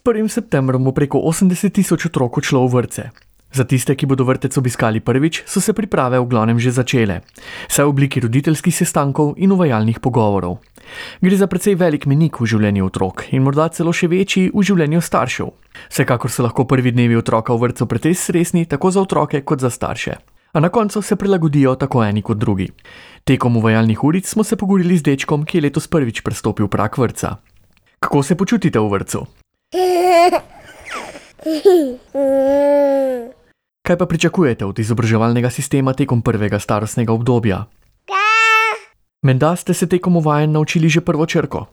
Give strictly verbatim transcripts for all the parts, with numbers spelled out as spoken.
prvim septembrom bo preko osemdeset tisoč otrok odšlo v vrtce. Za tiste, ki bodo vrtec obiskali prvič, so se priprave v glavnem že začele, saj v obliki roditeljskih sestankov in uvajalnih pogovorov. Gre za precej velik mejnik v življenju otrok in morda celo še večji v življenju staršev. Vsekakor so lahko prvi dnevi otroka v vrtcu precej stresni tako za otroke kot za starše. A na koncu se prilagodijo tako eni kot drugi. Tekom uvajalnih uric smo se pogovorili z dečkom, ki je letos prvič prestopil prag vrtca. Kako se počutite v vrtcu? Kaj pa pričakujete od izobraževalnega sistema tekom prvega starostnega obdobja? Menda ste se tekom uvajanj naučili že prvo črko?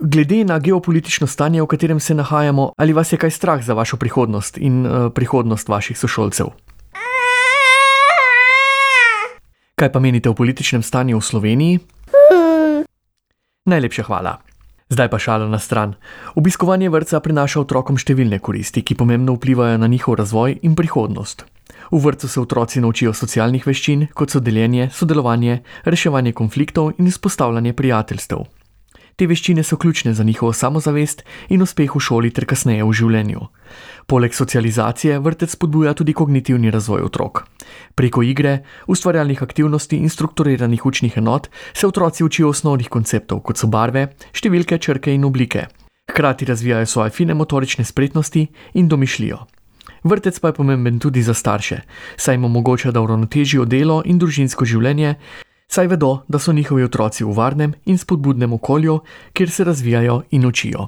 Glede na geopolitično stanje, v katerem se nahajamo, ali vas je kaj strah za vašo prihodnost in uh, prihodnost vaših sošolcev? Kaj pa menite o političnem stanju v Sloveniji? Najlepša hvala. Zdaj pa šala na stran. Obiskovanje vrtca prinaša otrokom številne koristi, ki pomembno vplivajo na njihov razvoj in prihodnost. V vrtcu se otroci naučijo socialnih veščin, kot so deljenje, sodelovanje, reševanje konfliktov in vzpostavljanje prijateljstev. Te veščine so ključne za njihovo samozavest in uspeh v šoli ter kasneje v življenju. Poleg socializacije vrtec spodbuja tudi kognitivni razvoj otrok. Preko igre, ustvarjalnih aktivnosti in strukturiranih učnih enot se otroci učijo osnovnih konceptov, kot so barve, številke, črke in oblike. Hkrati razvijajo svoje fine motorične spretnosti in domišljijo. Vrtec pa je pomemben tudi za starše, saj jim omogoča, da uravnotežijo delo in družinsko življenje, saj vedo, da so njihovi otroci v varnem in spodbudnem okolju, kjer se razvijajo in učijo.